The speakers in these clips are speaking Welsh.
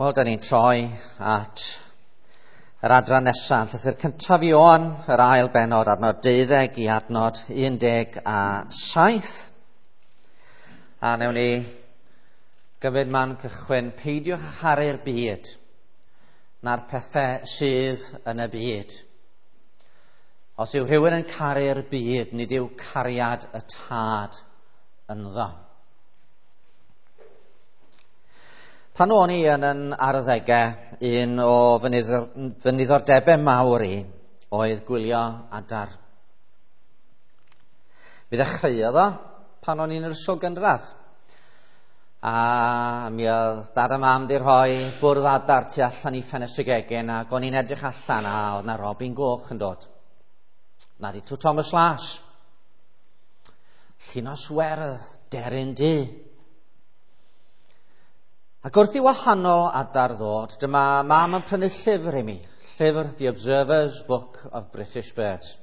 Wel, da ni'n troi at yr adran nesaf, llythyr cyntaf Ioan, yr ail benod, adnod 12 i adnod 17. A newn ni gymryd man cychwyn, peidiwch â charu'r byd, na'r pethau sydd yn y byd. Os yw rhywun yn caru'r byd, nid yw cariad y tad ynddo. Pan o'n i yn yn arddegau, un o fy niddordebau mawr i oedd gwylio adar. Mi ddechreuodd o pan o'n i'n yr ysgol gynradd. A mi oedd dad a mam di rhoi bwrdd adar tu allan i ffenestr gegin ac o'n i'n edrych allan a oedd na robin goch yn dod. Na di Twt Thomas Las. Llinos werdd, deryn du. Ac wrth i wahanol adar ddod, dyma mam yn prynu llyfr i mi, llyfr The Observer's Book of British Birds.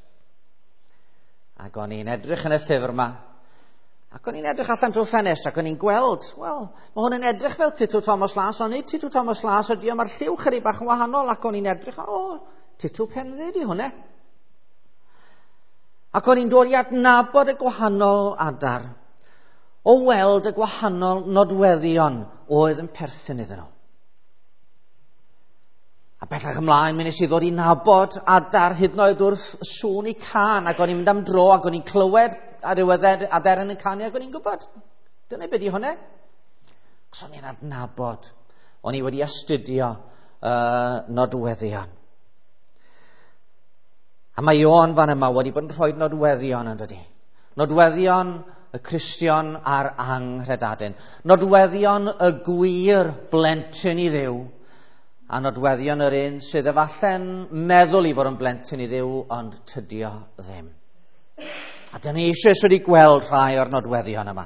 Ac o'n i'n edrych yn y llyfr yma, ac o'n i'n edrych allan drwy ffenest, ac o'n i'n gweld, wel, mae hwn yn edrych fel Titw Thomas Las, ond nid Titw Thomas Las ydi o, mae'r lliw chydig bach yn wahanol, ac o'n i'n edrych, o, Titw Penddu di hwnna. Ac o'n i'n dod i adnabod y gwahanol adar, o weld y gwahanol nodweddion oedd yn perthyn iddyn nhw. A bellach ymlaen, mi nes i ddod i nabod adar hyd yn oed wrth sŵn i can, ac o'n i'n mynd am dro, ac o'n i'n clywed ar ryw aderyn yn canu, ac o'n i'n gwybod, dyna beth i hwnna. Cos o'n i'n adnabod, o'n i wedi astudio nodweddion. A mae Ioan fan yma wedi bod yn rhoi nodweddion yn dydi. Nodweddion y Cristion a'r anghredadun. Nodweddion y gwir blentyn i Dduw, a nodweddion yr un sydd efallai'n meddwl i fod yn blentyn i Dduw, ond tydio ddim. A dyna ni eisoes wedi gweld rhai o'r nodweddion yma.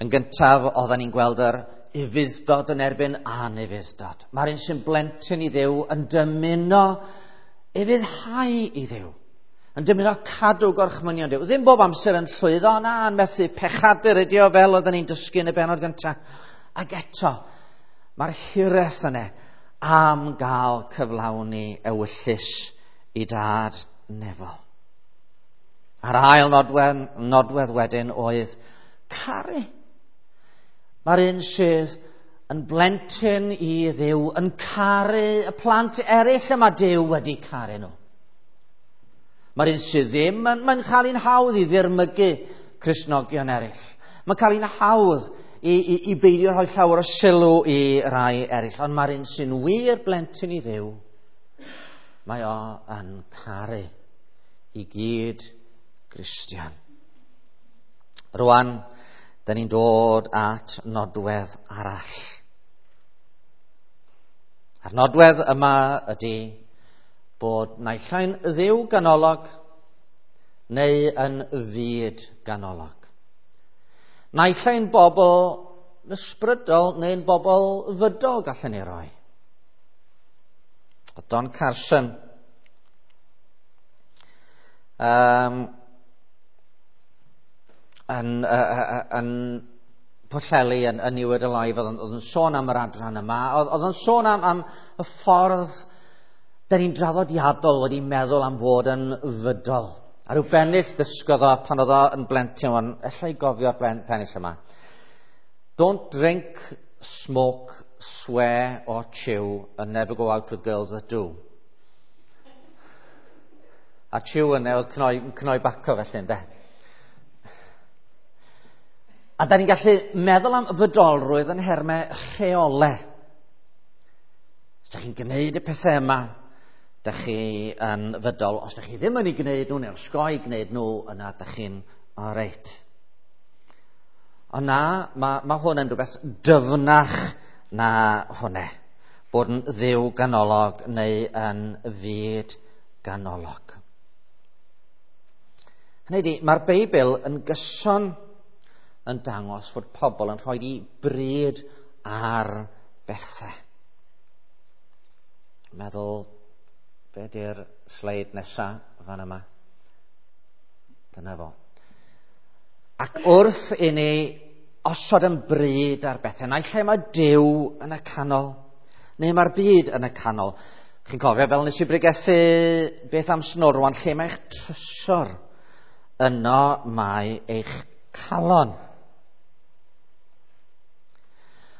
Yn gyntaf, oedden ni'n gweld yr ufudd-dod yn erbyn anufudd-dod. Mae'r un sy'n blentyn i Dduw yn dymuno ufuddhau i Dduw, yn dymuno cadw gorchmynion Duw. Ddim bob amser yn llwyddo, na, yn methu pechadur ydi o fel oedden ni'n dysgu yn y bennod gyntaf. Ac eto, mae'r hiraeth yna am gael cyflawni ewyllys i dad nefol. A'r ail nodwedd wedyn oedd caru. Mae'r un sydd yn blentyn i Dduw yn caru y plant eraill y mae Duw wedi caru nhw. Mae'r un sydd ddim, mae'n cael un hawdd i ddirmygu Cristnogion eraill. Mae'n cael un hawdd i beidio rhoi llawer o sylw i rai eraill. Ond mae'r un sy'n wir blentyn i Dduw, mae o yn caru i gyd Gristion. Rwan, da ni'n dod at nodwedd arall. A'r nodwedd yma ydy bod naill ai'n Dduw ganolog neu yn fyd ganolog. Naill ai'n bobl ysbrydol neu'n bobl fydol gallen ni roi. Don Carson yn Pwllheli yn New Word Alive, oedd yn sôn am yr adran yma, oedd yn sôn am y ffordd da ni'n draddodiadol wedi meddwl am fod yn fydol. A rhyw bennill ddysgodd o pan oedd o yn blentyn, ond ella i gofio'r pennill yma. Don't drink, smoke, swear or chew and never go out with girls that do. A chew yna oedd cnoi baco felly, ynde? A da ni'n gallu meddwl am fydolrwydd yn nhermau rheolau. Os da chi'n gwneud y pethau yma, da chi yn fydol. Os da chi ddim yn ei gwneud nhw, neu'n osgoi gwneud nhw, yna da chi'n oreit. Ond na, mae hwn yn rhywbeth dyfnach na hwnna. Bod yn Dduw ganolog neu yn fyd ganolog. Hynny ydi, mae'r Beibl yn gyson yn dangos fod pobl yn rhoi i bryd ar bethau. Meddwl, be di'r sleid nesa fan yma? Dyna fo. Ac wrth i ni osod yn bryd ar bethau. Naill lle mae Duw yn y canol, neu mae'r byd yn y canol. Chi'n cofio fel nes i bregethu beth am snorwan, lle mae'ch trysor, yno mae eich calon.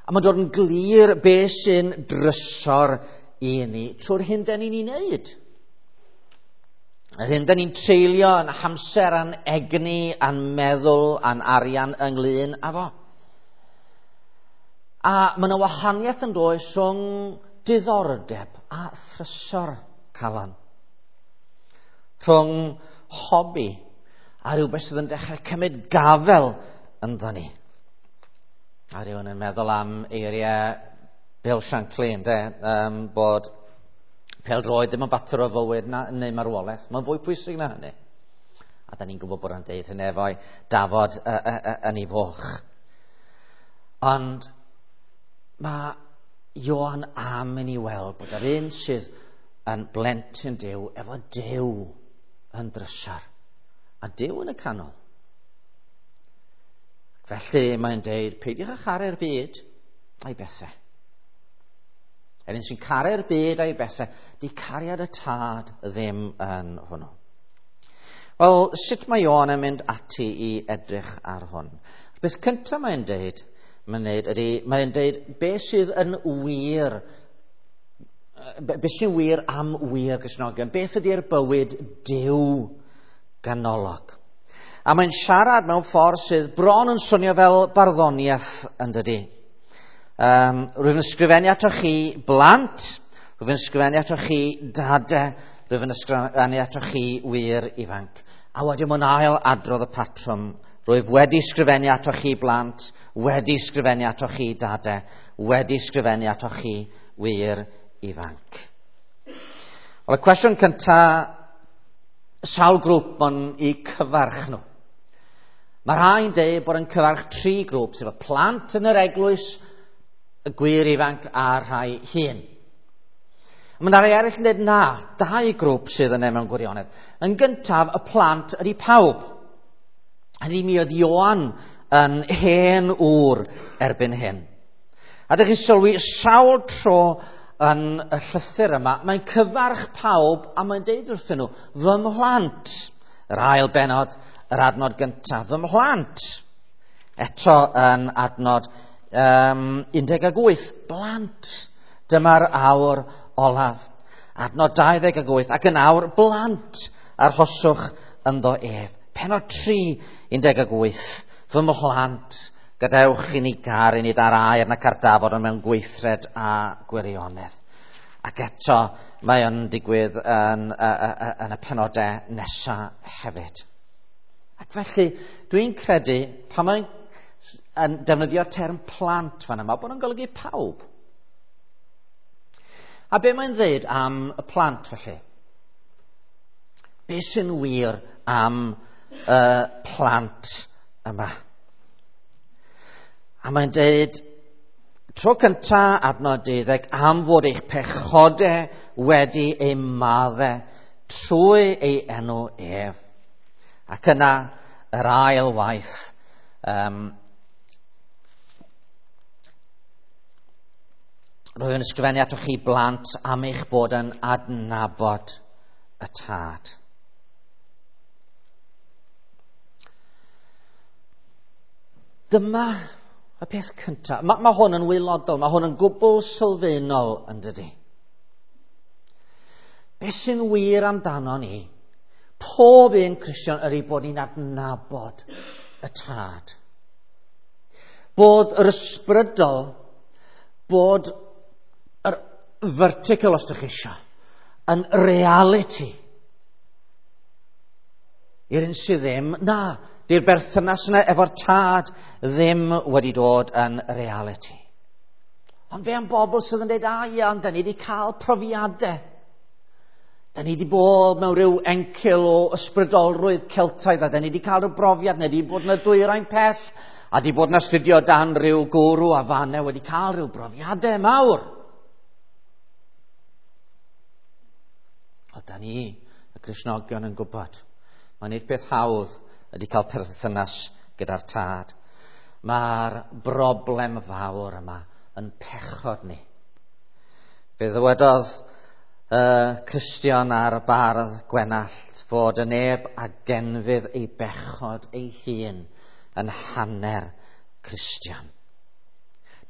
A mae'n dod yn glir beth sy'n drysor i ni trwy'r hyn da ni'n ei wneud. Yr hyn da ni'n treulio yn hamser a'n egni a'n meddwl a'n arian ynglyn â fo. A mae yna wahaniaeth yn does rhwng diddordeb a thrysor calon. Rhwng hobi a rhywbeth sydd yn dechrau cymryd gafel ynddo ni. A rhywun yn meddwl am eiriau Bill Shankly, ynde, bod pêl-droed ddim yn bater o fywyd na, neu marwolaeth. Mae'n fwy pwysig na hynny. A da ni'n gwybod bod o'n deud hynny efo'i dafod yn ei foch. Ond mae Ioan am i ni weld bod yr un sydd yn blentyn Duw efo Duw yn drysor. A Duw yn y canol. Felly mae'n deud, peidiwch â charu'r byd a'i bethau. Yr un sy'n caru'r byd a'i bethau, di cariad y tad ddim yn hwnnw. Wel, sut mae Ioan yn mynd ati i edrych ar hwn? Beth cyntaf mae'n deud, mae'n deud beth sydd yn wir, beth sy'n wir am wir Gristnogion, beth ydy'r bywyd Duw ganolog. A mae'n siarad mewn ffordd sydd bron yn swnio fel barddoniaeth yn dydy. Rwyf yn ysgrifennu atoch chi blant, rwyf yn ysgrifennu atoch chi dade, rwyf yn ysgrifennu atoch chi wir ifanc. A wedyn mae'n ail adrodd y patrwm. Rwyf wedi ysgrifennu atoch chi blant, wedi ysgrifennu atoch chi dade, wedi ysgrifennu atoch chi wir ifanc. Wel, y cwestiwn cyntaf, sawl grŵp ma'n i cyfarch nhw. Mae rhai'n deud bod yn cyfarch tri grŵp, sef y plant yn yr eglwys, y gwir ifanc a'r rhai hŷn. Mae yna rai eraill yn dweud na, dau grŵp sydd yna mewn gwirionedd. Yn gyntaf, y plant ydy pawb. Hynny mi oedd Ioan yn hen ŵr erbyn hyn. A dych chi'n sylwi sawl tro yn y llythyr yma, mae'n cyfarch pawb a mae'n deud wrthyn nhw, fy mhlant, yr ail benod, yr adnod gyntaf, fy mhlant. Eto yn adnod 18, blant, dyma'r awr olaf. Adnod 28, ac yn awr, blant, arhoswch ynddo ef. Penod 3, 18, fy mhlant, gadewch i ni garu nid ar air nac ar dafod, ond mewn gweithred a gwirionedd. Ac eto, mae o'n digwydd yn y penodau nesaf hefyd. Ac felly, dwi'n credu, pan mae'n yn defnyddio term plant fan yma, bod o'n golygu pawb. A be mae'n dweud am y plant felly? Be sy'n wir am y plant yma? A mae'n dweud, tro cynta adnod 12, am fod eich pechodau wedi eu maddau trwy ei enw ef. Ac yna, yr ail waith, rwyf yn ysgrifennu atoch chi blant am eich bod yn adnabod y tad. Dyma y peth cyntaf. Mae hwn yn waelodol, mae hwn yn gwbl sylfaenol yn dydy. Beth sy'n wir amdano ni? Pob un Cristion ydy bod ni'n adnabod y tad. Bod yr ysbrydol, bod yr vertical, os ydych chi eisiau, yn reality. I'r un sydd ddim, na, di'r berthynas yna efo'r tad ddim wedi dod yn reality. Ond be am bobl sydd yn dweud, a ia, ond da ni wedi cael profiadau. Da ni wedi bod mewn rhyw encil o ysbrydolrwydd Celtaidd, a da ni wedi cael rhyw brofiad, neu wedi bod yn y dwyrain pell, a wedi bod yn astudio dan rhyw gwrw a fanne, wedi cael rhyw brofiadau mawr. O, da ni, y Cristnogion, yn gwybod. Mae'n nid peth hawdd ydy cael perthynas gyda'r tad. Mae'r broblem fawr yma yn pechod ni. Fe ddywedodd y Cristion a'r bardd Gwenallt fod y neb a genfydd ei bechod ei hun yn hanner Cristion.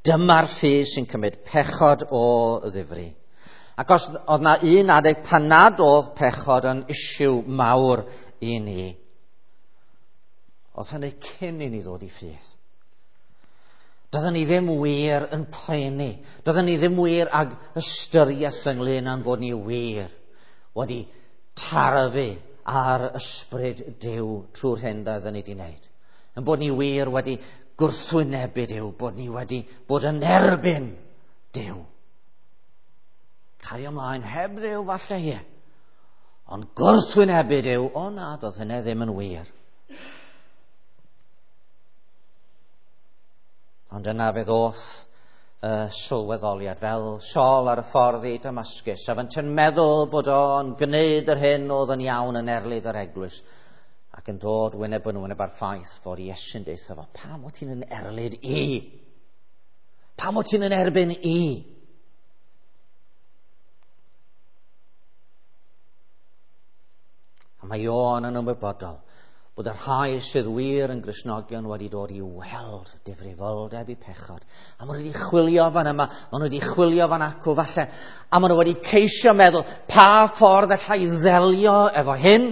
Dyma'r ffydd sy'n cymryd pechod o ddifri. Ac os oedd na un adeg pan nad oedd pechod yn isiw mawr i ni, oedd hynny cyn i ni ddod i ffydd. Doedden ni ddim wir yn poeni. Doedden ni ddim wir ag ystyriaeth ynglyn â'n bod ni wir wedi tarfu ar ysbryd Duw trwy'r hyn doedden ni wedi wneud. Yn bod ni wir wedi gwrthwynebu Duw, bod ni wedi bod yn erbyn Duw. Cario ymlaen heb Dduw falle ie. Ond gwrthwynebu Duw, o na, doedd hynny ddim yn wir. Ond yna fe ddoth y sylweddoliad fel Saul ar y ffordd i Damascus, a fynt yn meddwl bod o'n gwneud yr hyn oedd yn iawn yn erlid yr eglwys, ac yn dod wyneb yn wyneb ar ffaith fod Iesu'n deutha fo, pam o ti'n yn erlid i? Pam o ti'n yn erbyn i? A mae Ioan yn ymwybodol bod y rhai sydd wir yn Gristnogion wedi dod i weld difrifoldeb i pechod. A maen nhw wedi chwilio fan yma, maen nhw wedi chwilio fan acw falle, a maen nhw wedi ceisio meddwl pa ffordd allai ddelio efo hyn.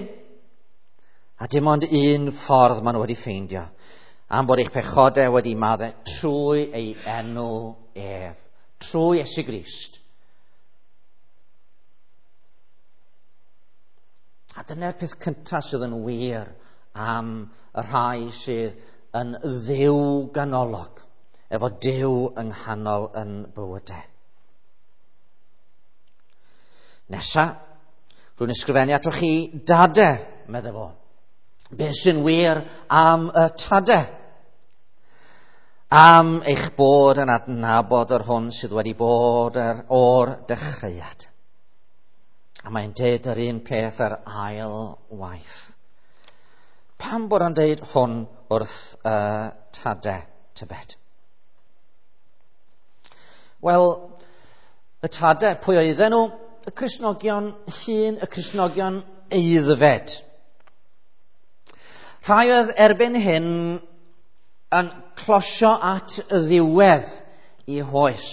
A dim ond un ffordd maen nhw wedi ffeindio, am bod eich pechodau wedi maddau trwy ei enw ef, trwy Iesu Grist. A dyna'r peth cyntaf sydd yn wir am y rhai sydd yn Dduw ganolog, efo Duw yng nghanol yn bywydau. Nesa, rwy'n ysgrifennu atoch chi dade, medde fo. Be sy'n wir am y tade? Am eich bod yn adnabod yr hwn sydd wedi bod o'r dechreuad. A mae'n deud yr un peth yr ail waith. Pam bod o'n deud hwn wrth y tade, tybed? Wel, y tade, pwy oedden nhw? Y Cristnogion hŷn, y Cristnogion aeddfed. Rhai oedd erbyn hyn yn closio at y ddiwedd i hoes.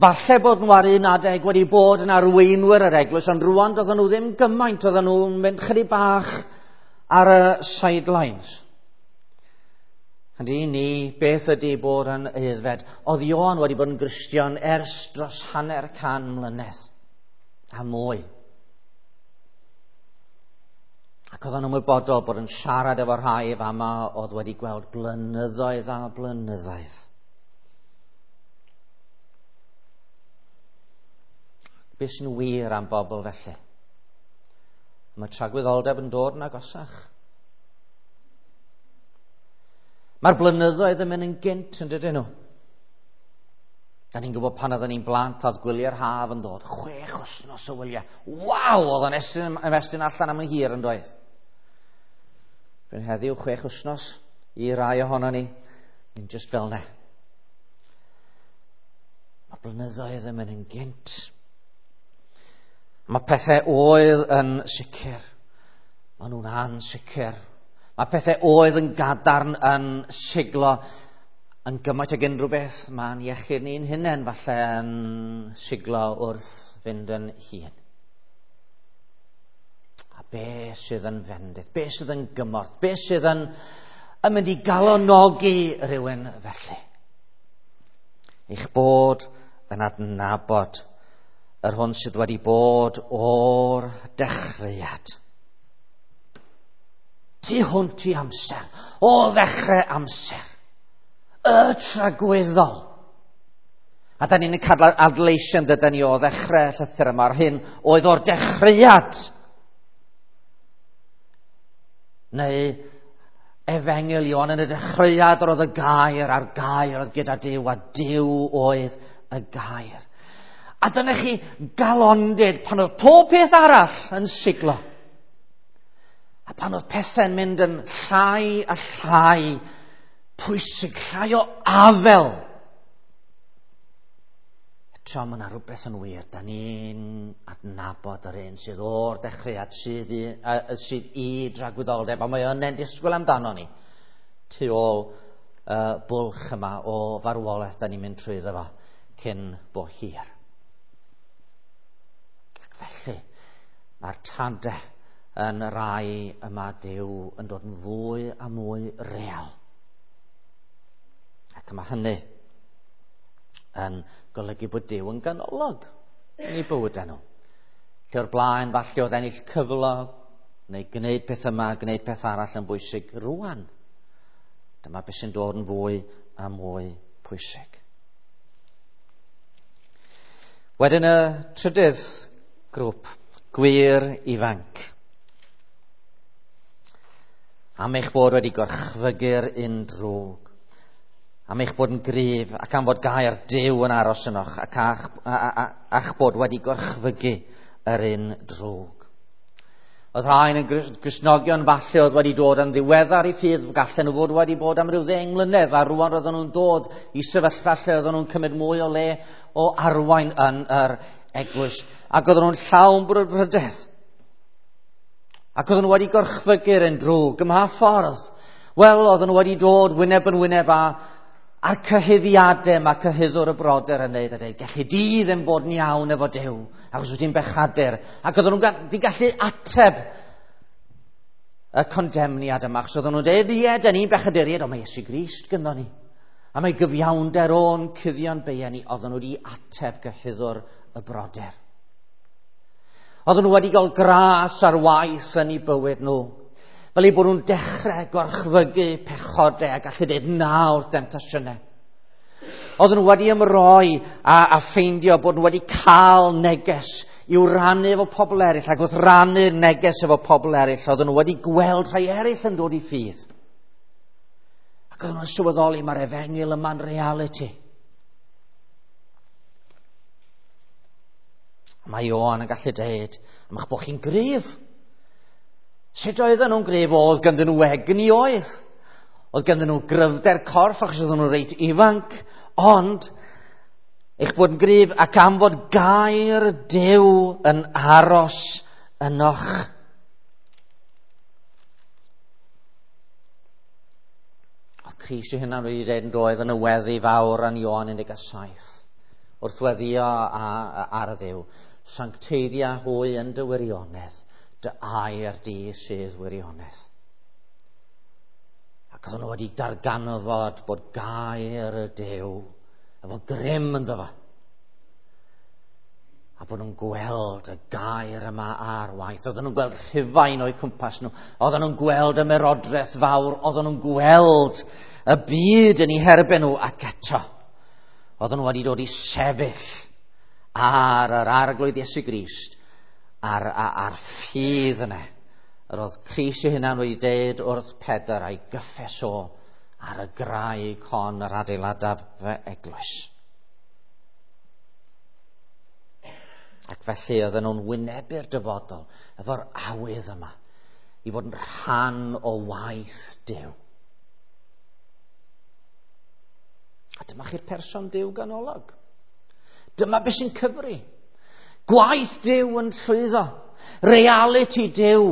Falle bod nhw ar un adeg wedi bod yn arweinwyr yr eglwys, ond rwan doedden nhw ddim gymaint, oedden nhw'n mynd chydig bach ar y sidelines. Ydy ni, beth ydy bod yn aeddfed? Oedd Ioan wedi bod yn Gristion ers dros 500 mlynedd a mwy. Ac oedd o'n ymwybodol bod yn siarad efo rhai fama oedd wedi gweld blynyddoedd a blynyddoedd. Be sy'n wir am bobl felly? Mae tragwyddoldeb yn dod yn agosach. Mae'r blynyddoedd yn mynd yn gynt yn dydyn nhw. Da ni'n gwybod pan oedden ni'n blant oedd gwyliau'r haf yn dod. 6 wythnos o wyliau. Waw, oedd o'n ymestyn allan am yn hir yn doedd. Rwy'n heddiw 6 wythnos i rai ohono ni. Ni'n just fel ne. Mae blynyddoedd yn mynd yn gynt. Mae pethau oedd yn sicr. Maen nhw'n ansicr. Mae pethau oedd yn gadarn yn siglo yn gymaint ag unrhyw beth. Mae'n iechyd ni'n hunain falle yn siglo wrth fynd yn hŷn. A be sydd yn fendith? Be sydd yn gymorth? Be sydd yn mynd i galonogi rhywun felly? Eich bod yn adnabod yr hwn sydd wedi bod o'r dechreuad. Tu hwnt i amser, o ddechrau amser, y tragwyddol. A da ni'n cael adleisio dydyn ni o ddechrau llythyr yma, yr hyn oedd o'r dechreuad. Neu Efengyl Ioan, yn y dechreuad yr oedd y gair, a'r gair oedd gyda Duw, a Duw oedd y gair. A dyna chi galondid pan oedd pob peth arall yn siglo. A pan oedd pethau'n mynd yn llai a llai pwysig, llai o afel. Eto, mae yna rhywbeth yn wir. Da ni'n adnabod yr un sydd o'r dechreuad sydd i, sydd i dragwyddoldeb, a mae yna'n disgwyl amdano ni tu ôl bwlch yma o farwolaeth da ni'n mynd trwyddo fo cyn bo hir. Ac felly, mae'r tadau yn rai yma Duw yn dod yn fwy a mwy real. Ac mae hynny yn golygu bod Duw yn ganolog yn ei bywydau nhw. Lle o'r blaen, falle oedd ennill cyflog, neu gwneud peth yma, gwneud peth arall yn bwysig rwan. Dyma beth sy'n dod yn fwy a mwy pwysig. Wedyn y trydydd grŵp, gwir ifanc. Am eich bod wedi gorchfygu'r un drwg, am eich bod yn gryf ac am fod gair Duw yn aros ynoch ac a'ch, a'ch bod wedi gorchfygu yr un drwg. Oedd rhain yn Gristnogion falle oedd wedi dod yn ddiweddar i ffydd, gallen nhw fod wedi bod am ryw 10 mlynedd, a rwan roedden nhw'n dod i sefyllfa lle oedden nhw'n cymryd mwy o le o arwain yn yr eglwys. Ac oedden nhw'n llawn brwdfrydedd. Ac oedden nhw wedi gorchfygu'r un drwg ym mha ffordd? Wel, oedden nhw wedi dod wyneb yn wyneb â a'r cyhuddiadau mae cyhuddwr y brodyr yn neud a dweud, gallu di ddim fod yn iawn efo Duw, achos wyt ti'n bechadur. Ac oedden nhw'n di gallu ateb y condemniad yma, achos oedden nhw'n dweud, ie, da ni'n bechaduriaid, ond mae Iesu Grist gyda ni. A mae gyfiawnder o'n cuddio'n beia ni, oedden nhw wedi ateb cyhuddwr y brodyr. Oedden nhw wedi cael gras ar waith yn eu bywyd nhw. Fel eu bod nhw'n dechrau gorchfygu pechodau a gallu dweud na wrth demtasiynau. Oedden nhw wedi ymroi a ffeindio bod nhw wedi cael neges i'w rannu efo pobl eraill, ac wrth rannu'r neges efo pobl eraill, oedden nhw wedi gweld rhai eraill yn dod i ffydd. Ac oedden nhw'n sylweddoli mae'r efengyl yma'n reality. Mae Ioan yn gallu dweud, am eich bod chi'n gryf. Sut oedden nhw'n gryf? Oedd ganddyn nhw egni oedd. Oedd ganddyn nhw gryfder corff achos oedden nhw'n reit ifanc. Ond, eich bod yn gryf ac am fod gair Duw yn aros ynoch. Oedd Crist ei hunan wedi dweud yn doedd yn y weddi fawr yn Ioan 17. Wrth weddio ar y Dduw, sancteiddia hwy yn dy wirionedd, dy air di sydd wirionedd. Ac oedden nhw wedi darganfod bod gair y Duw efo grym ynddo fo. A bod nhw'n gweld y gair yma ar waith. Oedden nhw'n gweld Rhufain o'u cwmpas nhw. Oedden nhw'n gweld y merodraeth fawr. Oedden nhw'n gweld y byd yn eu herbyn nhw. Ac eto, oedden nhw wedi dod i sefyll ar yr Arglwydd Iesu Grist, a'r ffydd yna. Yr oedd Crist ei hunan wedi dweud wrth Pedr a'i gyffes o ar y graig hon yr adeiladaf fy eglwys. Ac felly oedden nhw'n wynebu'r dyfodol efo'r awydd yma i fod yn rhan o waith Duw. A dyma chi'r person Duw ganolog. Dyma beth sy'n cyfri. Gwaith Duw yn llwyddo. Reality Duw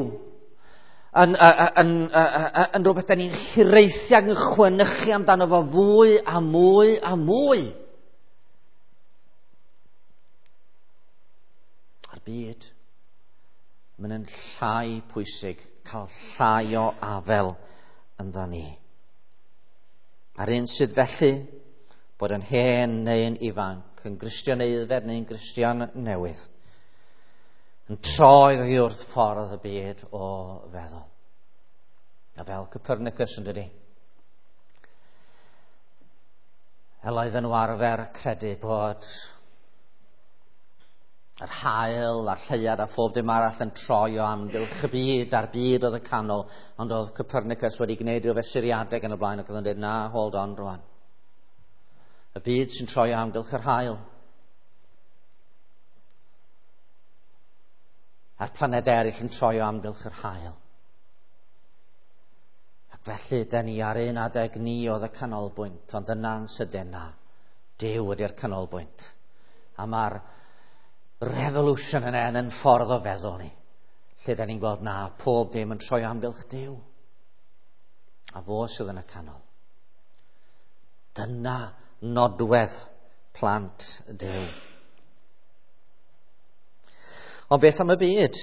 yn rhywbeth da ni'n hiraethu ac yn chwenychu amdano fo fwy a mwy a mwy. A'r byd, mae'n yn llai pwysig cael llai o afel ynddo ni. A'r un sydd felly, bod yn hen neu'n ifanc, yn Gristion aeddfed neu'n Gristion newydd, yn troi oddi wrth ffordd y byd o feddwl. A fel Copernicus yn dydi. El oedden nhw arfer credu bod yr haul a'r lleuad a phob dim arall yn troi o amgylch y byd a'r byd oedd y canol, ond oedd Copernicus wedi gwneud rhyw fesuriadau gan y blaen ac oedd yn dweud, na, hold on rwan. Y byd sy'n troi o amgylch yr haul. A'r planed eraill yn troi o amgylch yr haul. Ac Felly, da ni ar un adeg ni oedd y canolbwynt, ond yna'n sydyn na, Duw ydy'r canolbwynt. A mae'r revolution yna yn ffordd o feddwl ni, lle da ni'n gweld na, pob dim yn troi amgylch Duw. A fo sydd yn y canol. Dyna nodwedd plant Duw. Ond beth am y byd?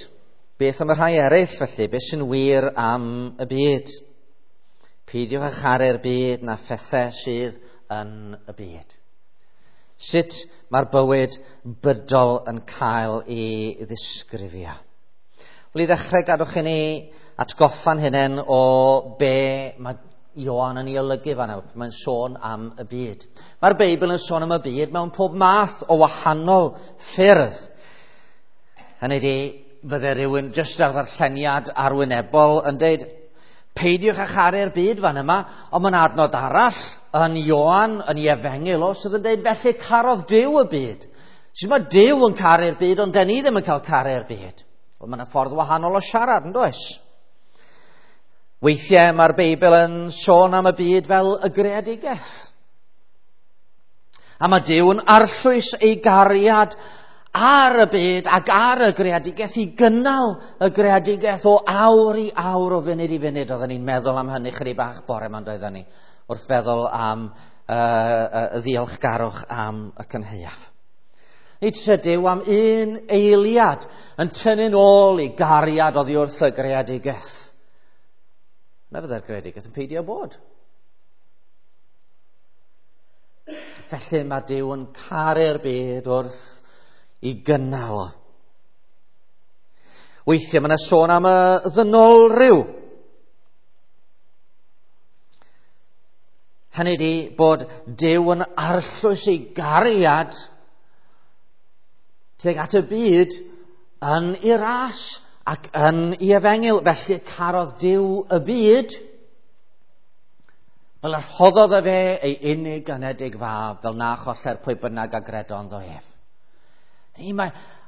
Beth am y rhai eraill felly? Beth sy'n wir am y byd? Peidiwch â charu'r byd na phethau sydd yn y byd. Sut mae'r bywyd bydol yn cael ei ddisgrifio? Wel, i ddechrau, gadwch i ni atgoffa'n hunain o be mae Ioan yn ei olygu fan'na. Mae'n sôn am y byd. Mae'r Beibl yn sôn am y byd mewn pob math o wahanol ffyrdd. Hynny ydi, fydde rhywun jyst ar ddarlleniad arwynebol yn deud, peidiwch â charu'r byd fan yma, ond mae'n adnod arall yn Ioan, yn ei efengyl o, sydd yn deud, felly carodd Duw y byd. Sut mae Duw yn caru'r byd, ond den ni ddim yn cael caru'r byd. Wel, mae'n ffordd wahanol o siarad, yn does? Weithiau mae'r Beibl yn sôn am y byd fel y greadigaeth. A mae Duw yn arllwys ei gariad ar y byd ac ar y greadigaeth i gynnal y greadigaeth o awr i awr, o funud i funud. Oedden ni'n meddwl am hynny chydig bach bore ma'n doedden ni, wrth feddwl am y ddiolchgarwch am y cynhaeaf. Nid Duw am un eiliad yn tynnu'n ôl i gariad oddi wrth y greadigaeth. Na fydde'r greadigaeth yn peidio bod. Felly mae Duw yn caru'r byd wrth i gynnal o. Weithiau mae yna sôn am y ddynol rhyw. Hynny ydi bod Duw yn arllwys ei gariad tuag at y byd yn ei ras ac yn ei efengyl. Felly carodd Duw y byd fel y rhoddodd e fe ei unig anedig fab, fel na choller pwy bynnag a gredo ynddo ef.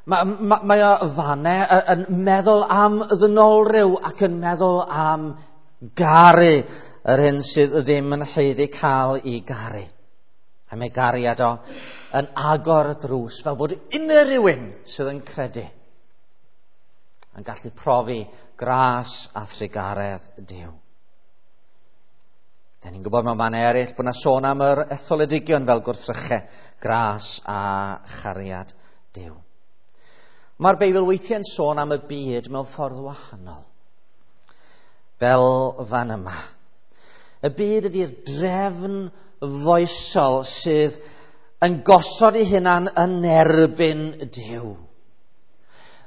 Mae o fanne yn meddwl am ddynolryw ac yn meddwl am garu yr hyn sydd ddim yn haeddu cael ei garu. A mae gariad o yn agor y drws fel bod unrhyw un sydd yn credu yn gallu profi gras a thrugaredd Duw. Da ni'n gwybod mewn mannau eraill bod yna sôn am yr etholedigion fel gwrthrychau gras a chariad Duw. Mae'r Beibl weithiau'n sôn am y byd mewn ffordd wahanol. Fel fan yma. Y byd ydy'r drefn foesol sydd yn gosod ei hunan yn erbyn Duw.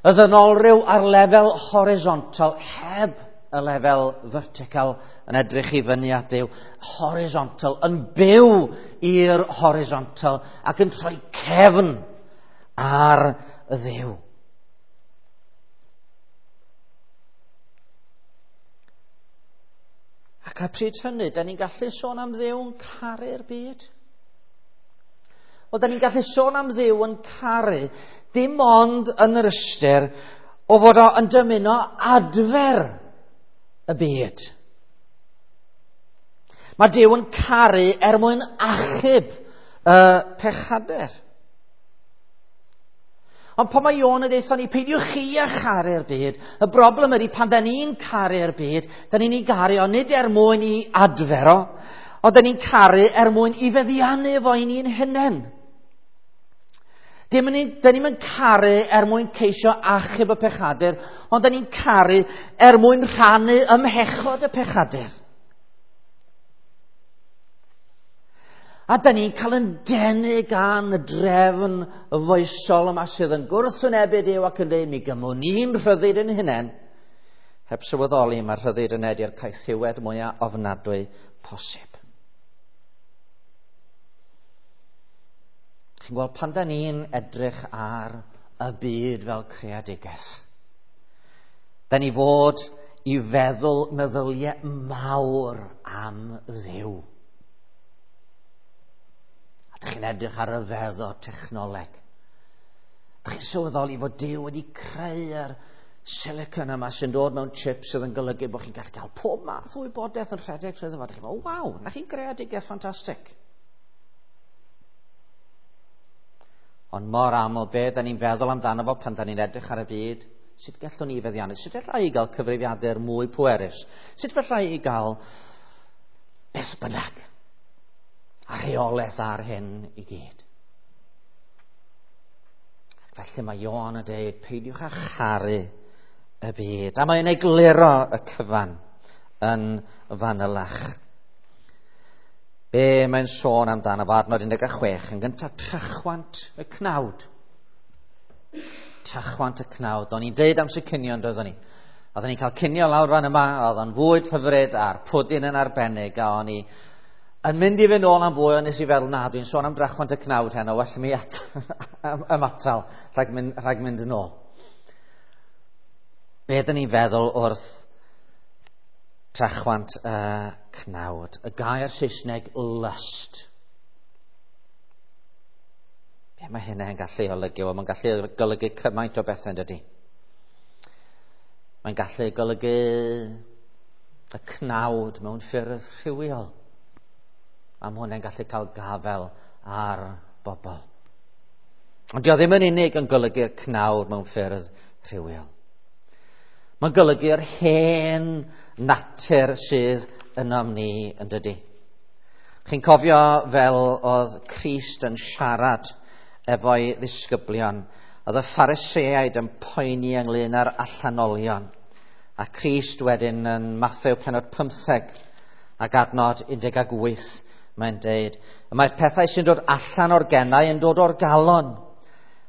Y ddynolryw ar lefel horizontal, heb y lefel vertical yn edrych i fyny at Dduw, horizontal, yn byw i'r horizontal ac yn troi cefn ar y Dduw. Ac a pryd hynny, da ni'n gallu sôn am Dduw yn caru'r byd? Wel, da ni'n gallu sôn am Dduw yn caru dim ond yn yr ystyr o fod o yn dymuno adfer y byd. Mae Duw yn caru er mwyn achub y pechadur. Ond pan mae Ioan yn deutha ni, peidiwch chi â charu'r byd, y broblem ydy pan da ni'n caru'r byd, da ni'n ei garu o nid er mwyn i adfer o, ond da ni'n caru er mwyn i feddiannu fo i ni'n hunain. Da ni'n mynd caru er mwyn ceisio achub y pechadur, ond da ni'n caru er mwyn rhannu ymhechod y pechadur. A da ni'n cael yn denu gan y drefn foesol yma sydd yn gwrthwynebu Duw ac yn dweud, mi gymwn ni'n rhyddid yn hunain. Heb sylweddoli, mae'r rhyddid yn edi'r caethiwed mwyaf ofnadwy posib. Chi'n gweld, pan da ni'n edrych ar y byd fel creadigaeth, da ni fod i feddwl meddyliau mawr am Dduw. A dych chi'n edrych ar y feddwl technoleg. Dych chi'n sylweddoli fod Duw wedi creu'r silicon yma sy'n dod mewn chip sydd yn golygu bod chi'n gallu cael pob math o wybodaeth yn rhedeg trwy fo. Chi'n meddwl, waw, na chi'n greadigaeth ffantastig. Ond mor aml, be da ni'n feddwl amdano fo pan da ni'n edrych ar y byd, sut gallwn ni feddiannu? Sut allai i gael cyfrifiadur mwy pwerus? Sut fallai i gael beth bynnag? A rheolaeth ar hyn i gyd. Ac felly mae Ioan yn dweud, peidiwch â charu y byd. A mae'n egluro y cyfan yn fanylach. Be mae'n sôn amdano fo, adnod 16, yn gyntaf trachwant y cnawd. Trachwant y cnawd. O'n i'n deud am sy'n cinio yn doeddwn ni. Oedden ni'n cael cinio lawr fan yma, oedd o'n fwyd hyfryd a'r pwdin yn arbennig, a o'n i yn mynd i fynd nôl am fwy, ond nes i feddwl, na, dwi'n sôn am drachwant y cnawd heno, well mi ymatal rhag mynd yn ôl. Be dyn ni'n feddwl wrth trachwant y cnawd? Y gair Saesneg lust. Be mae hynna yn gallu olygu? Wel, mae'n gallu golygu cymaint o bethau, dydy. Mae'n gallu golygu y cnawd mewn ffyrdd rhywiol. A mae hwnna'n gallu cael gafael ar bobl. Ond dio ddim yn unig yn golygu'r cnawd mewn ffyrdd rhywiol. Mae'n golygu'r hen natur sydd ynom ni yn dydy. Chi'n cofio fel oedd Crist yn siarad efo'i ddisgyblion. Oedd y Phariseaid yn poeni ynglyn â'r allanolion. A Crist wedyn yn Mathew pennod 15 ac adnod 18 mae'n deud, mae'r pethau sy'n dod allan o'r genau yn dod o'r galon.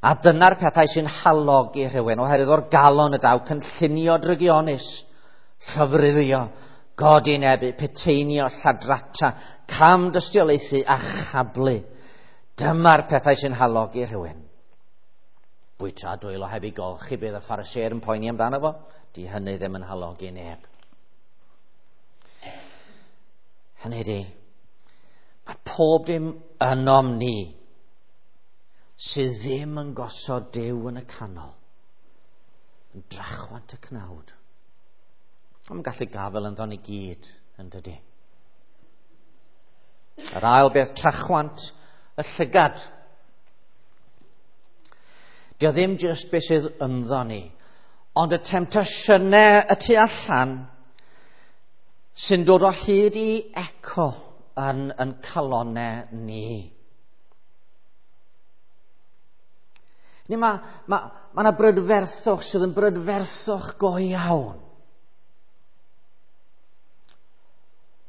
A dyna'r pethau sy'n halogi rhywun, oherwydd o'r galon y daw cynllunio drygionus, llofruddio, godinebu, peteinio, lladrata, cam dystiolaethu a chablu. Dyma'r pethau sy'n halogi rhywun. Bwyta dwylo heb ei golchi, bydd y Phariseaid yn poeni amdano fo. Di hynny ddim yn halogi neb. Hynny di, mae pob dim ynom ni sydd ddim yn gosod Duw yn y canol, yn drachwant y cnawd. Mae'n gallu gafael ynddo ni gyd, yn dydy. Yr ail beth, trachwant y llygad. Dio ddim jyst beth sydd ynddo ni, ond y temtasiynau y tu allan sy'n dod o hyd i eco yn calonau ni. Ni mae yna brydferthwch sydd yn brydferthwch go iawn.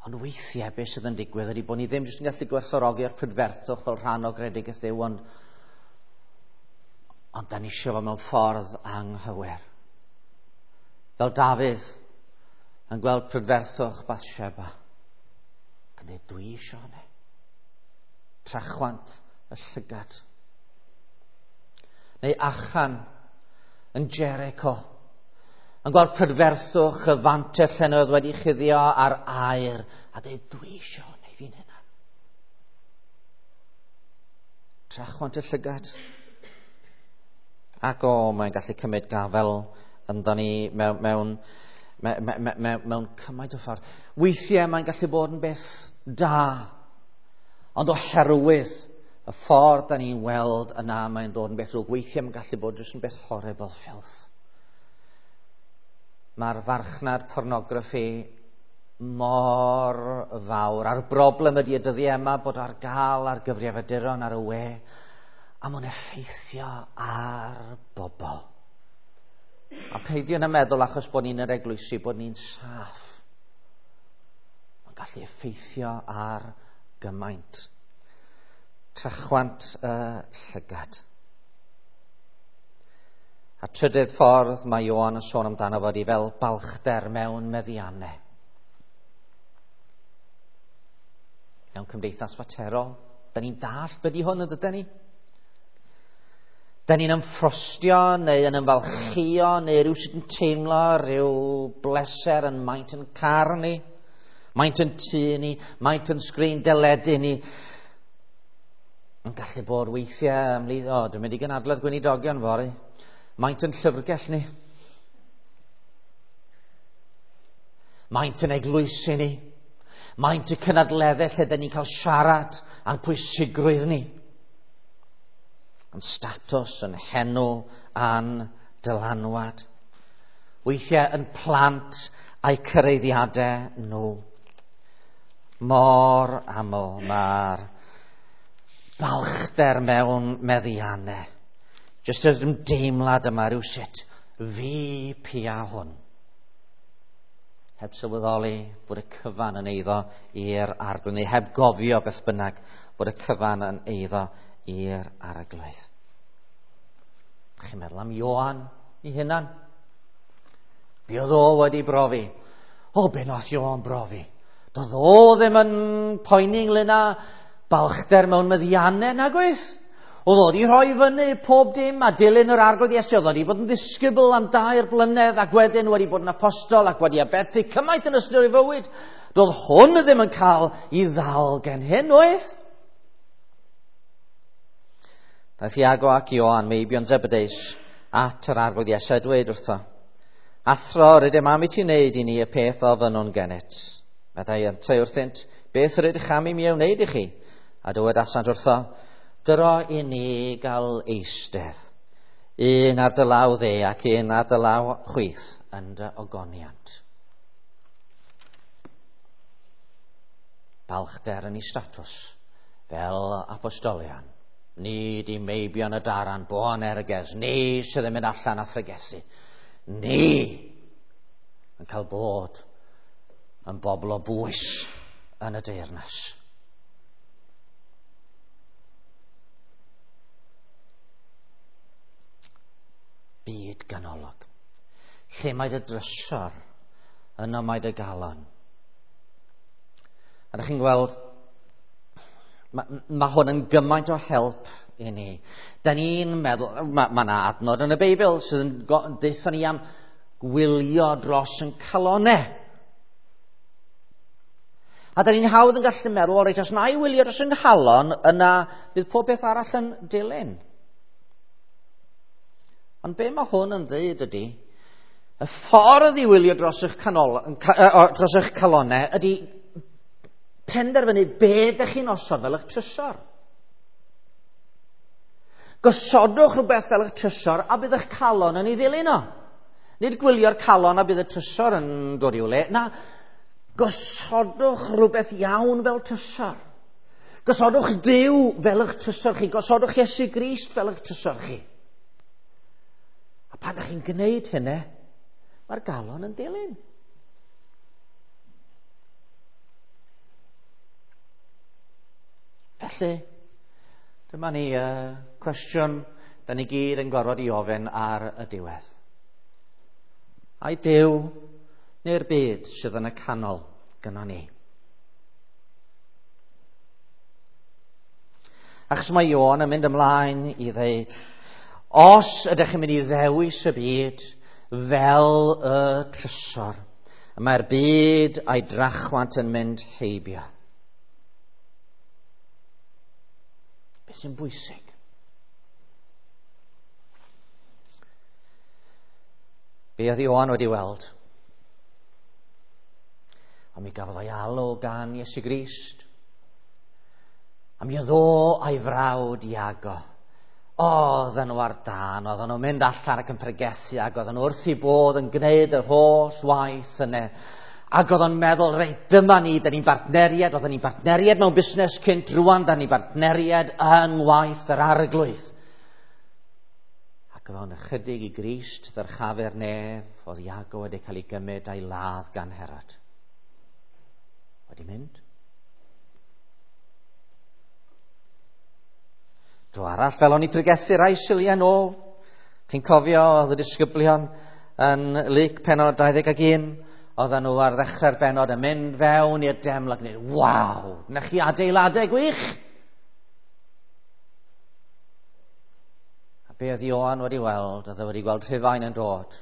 Ond weithiau beth sydd yn digwydd ydy bod ni ddim jyst yn gallu gwerthfawrogi'r prydferthwch fel rhan o gredigaeth Duw, ond da ni eisiau fo mewn ffordd anghywir. Fel Dafydd yn gweld prydferthwch Bathsheba. Ac yn dweud, dwi eisiau hynny. Trachwant y llygad. Neu Achan yn Jericho, yn gweld prydferthwch y fantell lle oedd wedi chuddio ar aer, a dweud, dwi eisiau neu fi'n hynna. Trachwant y llygad. Ac o, mae'n gallu cymryd gafel ynddo ni mewn cymaint o ffordd. Weithiau mae'n gallu bod yn beth da, ond oherwydd y ffordd da ni'n weld yna mae'n dod yn beth drwg. Weithiau mae'n gallu bod jyst yn beth horrible, filth. Mae'r farchnad pornograffi mor fawr. A'r broblem ydy y dyddiau yma bod ar gael ar gyfrifiaduron ar y we, a mae'n effeithio ar bobl. A peidio yn y meddwl achos bod ni'n yr eglwysi, bod ni'n saff. Mae'n gallu effeithio ar gymaint. Trachwant y llygad. A trydydd ffordd mae Ioan yn sôn amdano fod i fel balchder mewn meddiannau. Mewn cymdeithas faterol, da ni'n dallt beth i hwn yn dydyn ni? Da ni'n ymffrostio neu yn ymfalchio neu rhyw sydd yn teimlo rhyw bleser yn maint yn car ni, maint yn tŷ ni, maint yn sgrin deledu ni. Yn gallu bod weithiau ymhlith, o, dwi'n mynd i gynadledd gweinidogion fory. Maint yn llyfrgell ni. Maint yn eglwysi ni. Maint y cynadleddau lle dyn ni'n cael siarad a'n pwysigrwydd ni. Yn statws, yn henw, a'n dylanwad. Weithiau yn plant a'u cyreiddiadau nhw. Mor aml mae'r balchder mewn meddiannau. Jyst yr ymdeimlad yma rhywsut, fi pia hwn. Heb sylweddoli bod y cyfan yn eiddo i'r arglwydd, neu heb gofio beth bynnag bod y cyfan yn eiddo i'r arglwydd. Chi'n meddwl am Ioan i hunan? Be oedd o wedi brofi? O, be nath Ioan brofi? Doedd o ddim yn poeni ynglyn â balchder mewn meddiannau, nag oes? Oedd o wedi rhoi fyny pob dim a dilyn yr arglwydd Iesu. Oedd o wedi bod yn ddisgybl am 2 blynedd ac wedyn wedi bod yn apostol ac wedi aberthu cymaint yn ystod ei fywyd. Doedd hwn ddim yn cael ei ddal gen hyn, oedd? Daeth Iago ac Ioan, meibion Zebedeus, at yr arglwydd Iesu a dweud wrtho, Athro, rydym am i ti wneud i ni y peth ofynnwn gennyt. Meddai yntau wrthynt, beth rydych am i mi ei wneud i chi? A dywedasant wrtho, dyro i ni gael eistedd, un ar dy law dde ac un ar dy law chwith yn dy ogoniant. Balchder yn ei statws fel apostolion. Ni di meibion y daran, Boanerges, ni sydd yn mynd allan a phregethu. Ni yn cael bod yn bobl o bwys yn y deyrnas. Byd ganolog. Lle mae dy drysor, yno mae dy galon. A ydych chi'n gweld, mae hwn yn gymaint o help i ni. Da ni'n meddwl, mae yna adnod yn y Beibl sydd yn deutha ni am gwylio dros yn calonau. A da ni'n hawdd yn gallu meddwl, o reit, os na i wylio dros yng nghalon, yna bydd pob beth arall yn dilyn. Ond be mae hwn yn dweud ydy, y ffordd i wylio dros eich, dros eich calonau ydy penderfynu be ydych chi'n osod fel eich trysor. Gosodwch rhywbeth fel eich trysor a bydd eich calon yn ei ddilyn o. Nid gwylio'r calon a bydd y trysor yn dod i'w le. Na, gosodwch rhywbeth iawn fel trysor. Gosodwch Dduw fel eich trysor chi. Gosodwch Iesu Grist fel eich trysor chi. A pan ydych chi'n gwneud hynny, mae'r galon yn dilyn. Felly, dyma ni cwestiwn da ni gyd yn gorfod i ofyn ar y diwedd. Ai Duw neu'r byd sydd yn y canol gyda ni? Achos mae Ioan yn mynd ymlaen i ddeud, os ydych chi'n mynd i ddewis y byd fel y trysor, mae'r byd a'i drachwant yn mynd heibio. Beth sy'n bwysig? Be oedd Ioan wedi weld? A mi gafodd o'i alw gan Iesu Grist. A mi oedd o a'i frawd Iago. Oedden nhw ar dân, oedden nhw'n mynd allan ac yn pregethu, ac oedden nhw wrth i bodd yn gwneud yr holl waith yna. Ac oedd o'n meddwl, reit, dyma ni, da ni'n bartneriad, oedden ni'n bartneriad mewn busnes cynt, rwan da ni'n bartneriad yng ngwaith yr arglwydd. Ac oedd o'n ychydig i Grist ddyrchafu'r nef, oedd Iago wedi cael ei gymryd a'i ladd gan Herod. Wedi mynd. Dro arall, fel o'n i pregethu rai Suliau nôl, chi'n cofio oedd y disgyblion yn Luc pennod 21, oedden nhw ar ddechrau'r bennod yn mynd fewn i'r deml ac yn dweud, waw, na chi adeiladau gwych! A be oedd Ioan wedi weld? Oedd e wedi gweld Rhufain yn dod.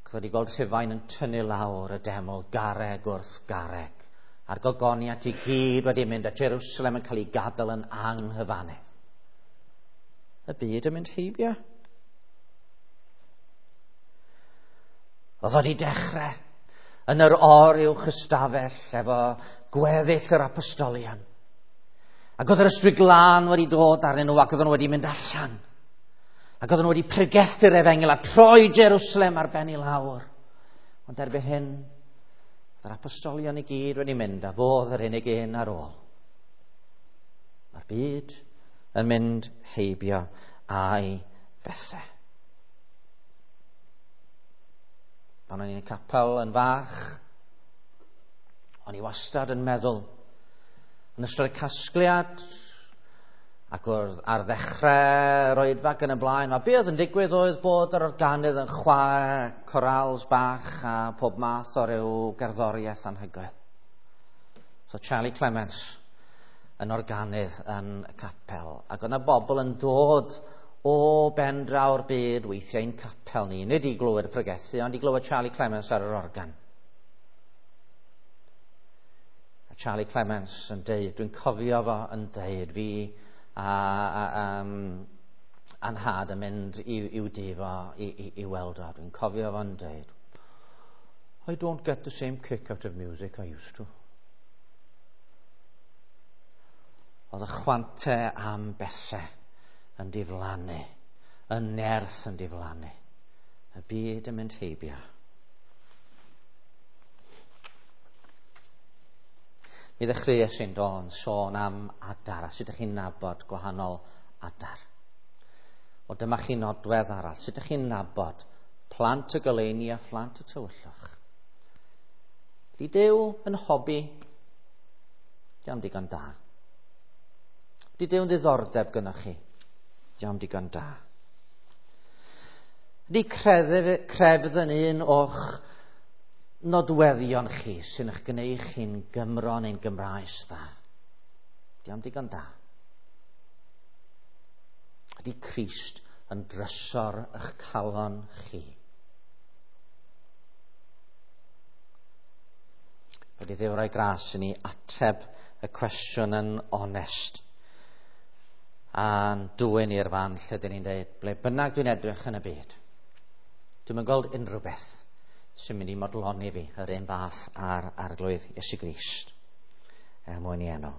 Oedd wedi gweld Rhufain yn tynnu lawr y deml garreg wrth garreg. A'r gogoniant i gyd wedi mynd a Jerusalem yn cael ei gadael yn anghyfannedd. Y byd yn mynd heibio. Oedd wedi dechrau. Yn yr oruwch ystafell efo gweddill yr apostolion. Ac oedd yr Ysbryd Glân wedi dod arnyn nhw ac oedden nhw wedi mynd allan. Ac oedden nhw wedi pregethu'r efengyl a troi Jerusalem ar ben i lawr. Ond erbyn hyn, oedd yr apostolion i gyd wedi mynd a fodd yr unig un ar ôl. Mae'r byd yn mynd heibio a'i bethau. Pan o'n i'n y capel yn fach, o'n i wastad yn meddwl, yn ystod y casgliad, ac wrth ar ddechrau yr oedfa ac yn y blaen, mae be oedd yn digwydd oedd bod yr organydd yn chwarae corals bach a pob math o ryw gerddoriaeth anhygoel. So Charlie Clements yn organydd yn y capel, ac oedd yna bobl yn dod o ben draw'r byd weithiau i'n capel ni, nid i glywed y pregethu, ond i glywed Charlie Clements ar yr organ. A Charlie Clements yn deud, dwi'n cofio fo yn deud, fi a a'n nhad yn mynd i'w dŷ fo i weld o. Dwi'n cofio fo'n deud, "I don't get the same kick out of music I used to." Oedd y chwante am bethau yn diflannu, y nerth yn diflannu, y byd yn mynd heibio. Mi ddechreuais i'n do yn sôn am adar, a sut ydych chi'n nabod gwahanol adar. O, dyma chi nodwedd arall. Sut ydych chi'n nabod plant y goleuni a phlant y tywyllwch? Ydy Duw yn hobi? Dio'm digon da. Ydy Duw'n ddiddordeb gynnwch chi? Dio'm digon da. Ydy crefydd yn un o'ch nodweddion chi sy'n eich gwneud chi'n Gymro neu'n Gymraes dda? Dio'm digon da. Ydy Crist yn drysor eich calon chi? Wedi Dduw roi gras i ni ateb y cwestiwn yn onest a'n dwyn i'r fan lle dyn ni'n dweud, ble bynnag dwi'n edrych yn y byd, dwi'm yn gweld unrhyw beth sy'n mynd i modloni fi yr un fath â'r Arglwydd Iesu Grist, er mwyn i enw.